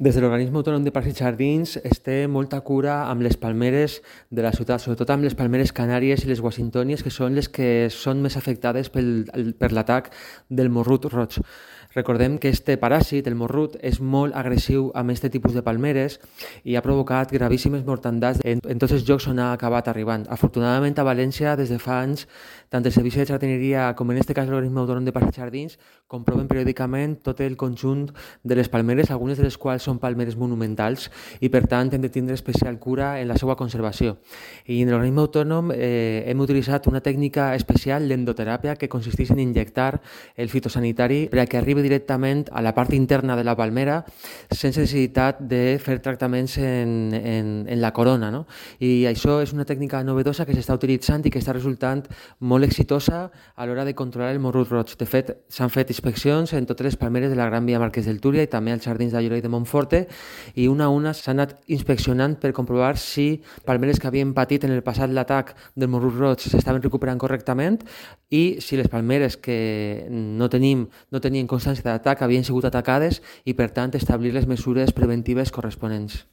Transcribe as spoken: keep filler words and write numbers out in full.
Des de l'Organisme Autònom de Parcs i Jardins es té molta cura amb les palmeres de la ciutat, sobretot amb les palmeres canàries i les washingtònies, que són les que són més afectades pel, per l'atac del morrut roig. Recordem que este paràsit, el morrut, és molt agressiu amb aquest tipus de palmeres i ha provocat gravíssimes mortandats en, en tots els llocs on ha acabat arribant. Afortunadament, a València, des de fa anys, tant el Servici de Jardineria com en aquest cas l'Organisme Autònom de Parcs i Jardins comproven periòdicament tot el conjunt de les palmeres, algunes de les quals són palmeres monumentals i per tant hem de tindre especial cura en la seva conservació. I en l'organisme autònom eh, hem utilitzat una tècnica especial d'endoteràpia que consisteix en injectar el fitosanitari per a que arribi directament a la part interna de la palmera sense necessitat de fer tractaments en, en, en la corona, no? I això és una tècnica novedosa que s'està utilitzant i que està resultant molt exitosa a l'hora de controlar el morrut roig. De fet, s'han fet inspeccions en totes les palmeres de la Gran Via Marquès del Túria i també als jardins de Lloret de Montforte i una a una s'han anat inspeccionant per comprovar si palmeres que havien patit en el passat l'atac del morrut roig s'estaven recuperant correctament i si les palmeres que no tenim no tenien constància d'atac havien sigut atacades i per tant establir les mesures preventives corresponents.